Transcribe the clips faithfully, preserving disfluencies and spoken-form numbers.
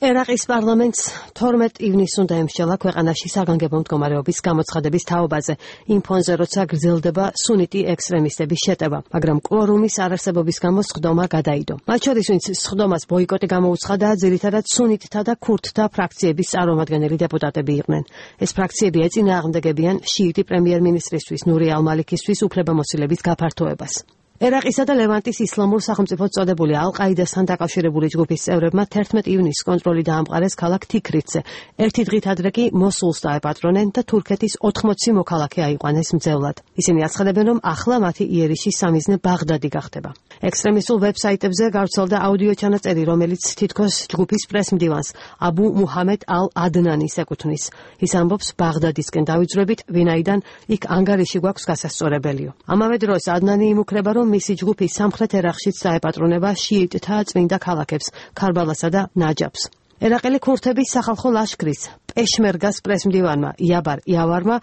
ერაყის პარლამენტს თორმეტ ივნისს უნდა ემსჯელა ქვეყანაში საგანგებო მდგომარეობის გამოცხადების თაობაზე, იმ ფონზე, როცა გრძელდება სუნიტი ექსტრემისტების შეტევა, მაგრამ კვორუმის არარსებობის გამო სხდომა გადაიდო. მათ შორის, ვინც სხდომას ბოიკოტი გამოუცხადა, ძირითადად სუნიტთა და ქურთთა ფრაქციების წარმომადგენელი დეპუტატები იყვნენ. ეს ფრაქციები ეწინააღმდეგებიან შიიტი პრემიერ-მინისტრისთვის ნური ალ-მალიქისთვის უფლებამოსილების გაფართოებას. ერაყისა და ლევანტის ისლამურ სახელმწიფოდ წოდებული ალ-ყაიდასთან დაკავშირებული ჯგუფის წევრებმა თერთმეტ ივნისს კონტროლი დაამყარეს ქალაქ თიქრიტზე. ერთი დღით ადრე კი მოსულს დაეპატრონენ და თურქეთის ოთხმოცი მოქალაქე აიყვანეს მძევლად. ისინი აცხადებენ, რომ ახლა მათი იერიშის სამიზნე ბაღდადი გახდება. ექსტრემისტულ ვებსაიტებზე გავრცელდა აუდიო ჩანაწერი, რომელიც თითქოს ჯგუფის პრესმდივანს აბუ მუჰამედ ალ-ადნანის ეკუთვნის. ის ამბობს, ბაღდადისკენ დავიძრებით, ვინაიდან იქ ანგარიში გვაქვს გასასწორებელიო. ამავე დროს ადნანი იმუქრება, რომ მისი ჯგუფი სამხრეთ ერაყშიც დაეპატრონება შიიტთა წმინდა ქალაქებს, ქარბალასა და ნაჯაფს. ერაყელი ქურთების სახალხო ლაშქრის პეშმერგას პრესმდივანმა იაბარ იავარმა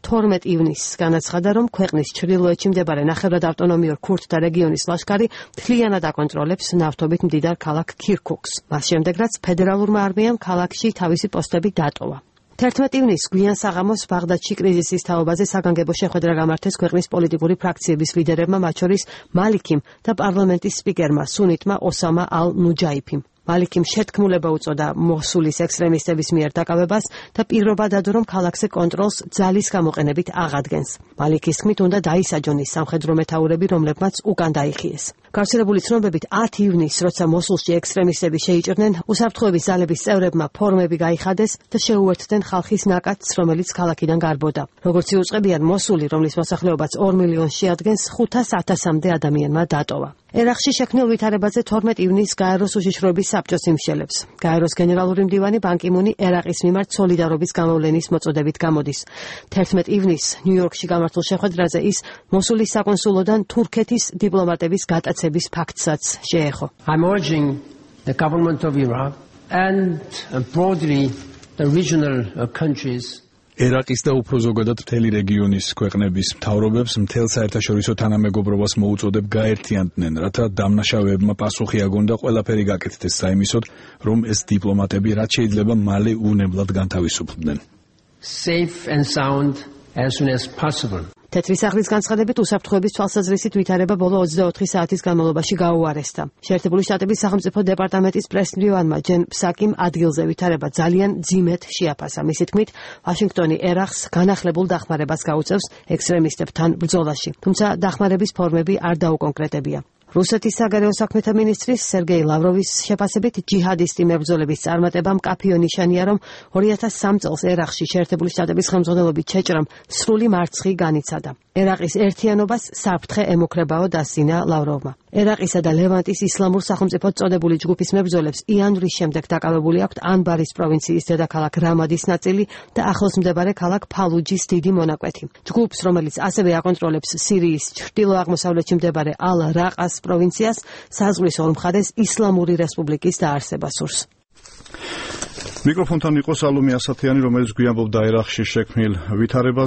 თორმეტ ივნისს განაცხადა, რომ ქვეყნის ჩრდილოეთში მდებარე ნახევრად ავტონომიურ ქურთთა რეგიონის ლაშქარი მთლიანად აკონტროლებს ნავთობით მდიდარ ქალაქ ქირქუქს. მას შემდეგ, რაც ფედერალურმა არმიამ ქალაქში თავისი პოსტები დატოვა. თერთმეტ ივნისს გვიან საღამოს ბაღდადში კრიზისის თაობაზე საგანგებო შეხვედრა გამართეს ქვეყნის პოლიტიკური ფრაქციების ლიდერებმა, მათ შორის მალიქიმ და პარლამენტის სპიკერმა სუნიტმა ოსამა ალ-ნუჯაიფიმ. მალიქიმ შეთქმულება უწოდა მოსულის ექსტრემისტების მიერ დაკავებას და პირობა დადო, რომ ქალაქზე კონტროლს ძალის გამოყენებით აღადგენს. მალიქის თქმით, უნდა დაისაჯონ ის სამხედრო მეთაურები, რომლებმაც უკან დაიხიეს. გავრცელებული ცნობებით ათი ივნისს, როცა მოსულში ექსტრემისტები შეიჭრნენ, უსაფრთხოების ძალების წევრებმა ფორმები გაიხადეს და შეუერთდნენ ხალხის ნაკადს, რომელიც ქალაქიდან გარბოდა. როგორც იუწყებიან, მოსული, რომლის მოსახლეობაც ორ მილიონს შეადგენს, ხუთას ათასამდე ადამიანმა დატოვა. ერაყში შექმნილ ვითარებაზე თორმეტ ივნისს გაეროს უშიშროების საბჭოს იმშელებს. გაეროს გენერალური მდივანი ბან კი მუნი ერაყის მიმართ სოლიდარობის გამოვლენის მოწოდებით გამოდის. თერთმეტ ივნისს ნიუ-იორკში გამართულ შეხვედრაზე ის მოსულის საკონსულოდან თურქეთის დიპლომატების გატაცების ფაქტსაც შეეხო. I'm urging the government of Iraq and broadly the regional countries ერაყის და უფრო ზოგადად მთელი რეგიონის ქვეყნების მთავრობებს მთელ საერთაშორისო თანამეგობრობას მოუწოდებ გაერთიანდნენ, რათა დამნაშავეებმა პასუხი აგონ და ყველაფერი გაკეთდეს საიმისოდ, რომ ეს დიპლომატები რაც შეიძლება მალე უნებლად განთავისუფლდნენ. Safe and sound as soon as possible. თეთრი სახლის განცხადებით უსაფრთხოების თვალსაზრისით ვითარება ბოლო ოცდაოთხი საათის განმავლობაში გაუარესდა. შეერთებული შტატების სახელმწიფო დეპარტამენტის პრესმდივანმა ჯენ ფსაკიმ ადგილზე ვითარება ძალიან ძიმედ შეაფასა. მისი თქმით, ვაშინგტონი ერაყს განახლებულ დახმარებას გაუწევს ექსტრემისტებთან ბრძოლაში, თუმცა დახმარების ფორმები არ დაუკონკრეტებია. რუსეთის საგარეო საქმეთა მინისტრის სერგეი ლავროვის შეფასებით ჯიჰადისტი მებრძოლების წარმატება მკაფიო ნიშანია, რომ ორი ათას სამ წელს ერაყში შეერთებული შტატების ხელმძღვანელობით ჩეჭრამ სრული მარცხი განიცადა. ერაყის ერთიანობას საფრთხე ემუქრებაო დასძინა ლავროვმა. ერაყისა და ლევანტის ისლამურ სახელმწიფოდ წოდებული ჯგუფის მებრძოლებს იანვრის შემდეგ დაკავებული აქვთ ანბარის პროვინციის დედაქალაქ რამადის ნაწილი და ახლოს მდებარე ქალაქ ფალუჯის დიდი მონაკვეთი. ჯგუფს, რომელიც ასევე აკონტროლებს სირიის ჩრდილო-აღმოსავლეთში მდებარე ალ-რაყას პროვინციას, საზღვრის ორ მხარეს ისლამური რესპუბლიკის დაარსება სურს. მიკროფონთან იყო სალომე ასათიანი, რომელიც გვიამბობდა ერაყში შექმნილ ვითარებას.